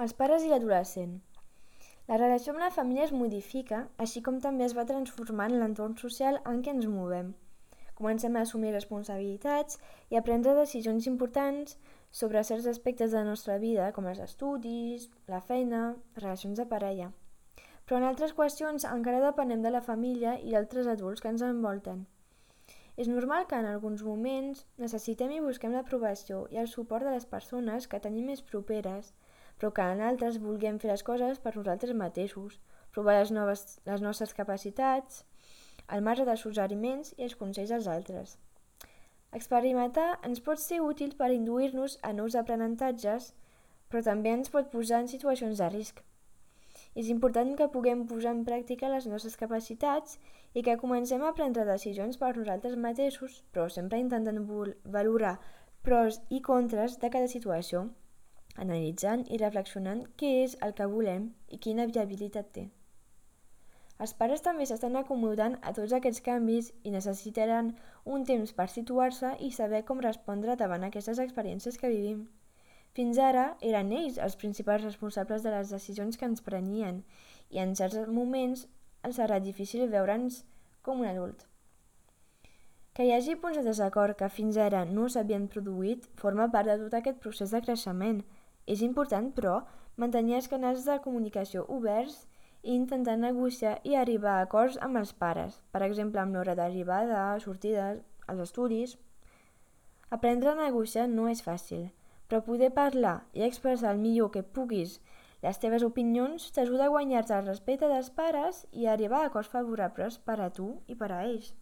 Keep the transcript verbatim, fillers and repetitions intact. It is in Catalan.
Els pares i l'adolescent. La relació amb la família es modifica, així com també es va transformant l'entorn social en què ens movem. Comencem a assumir responsabilitats i a prendre decisions importants sobre certs aspectes de la nostra vida, com els estudis, la feina, les relacions de parella. Però en altres qüestions encara depenem de la família i d'altres adults que ens envolten. És normal que en alguns moments necessitem i busquem l'aprovació i el suport de les persones que tenim més properes, però que en altres vulguem fer les coses per nosaltres mateixos, provar les, noves, les nostres capacitats, al marge dels suggeriments i els consells dels altres. Experimentar ens pot ser útil per induir-nos a nous aprenentatges, però també ens pot posar en situacions de risc. És important que puguem posar en pràctica les nostres capacitats i que comencem a prendre decisions per nosaltres mateixos, però sempre intentant valorar pros i contres de cada situació, analitzant i reflexionant què és el que volem i quina viabilitat té. Els pares també s'estan acomodant a tots aquests canvis i necessitaran un temps per situar-se i saber com respondre davant aquestes experiències que vivim. Fins ara eren ells els principals responsables de les decisions que ens prenien i en certs moments els serà difícil veure'ns com un adult. Que hi hagi punts de desacord que fins ara no s'havien produït forma part de tot aquest procés de creixement. És important, però, mantenir els canals de comunicació oberts i intentar negociar i arribar a acords amb els pares, per exemple amb l'hora d'arribada, sortides, als estudis. Aprendre a negociar no és fàcil, però poder parlar i expressar el millor que puguis les teves opinions t'ajuda a guanyar-te el respecte dels pares i a arribar a acords favorables per a tu i per a ells.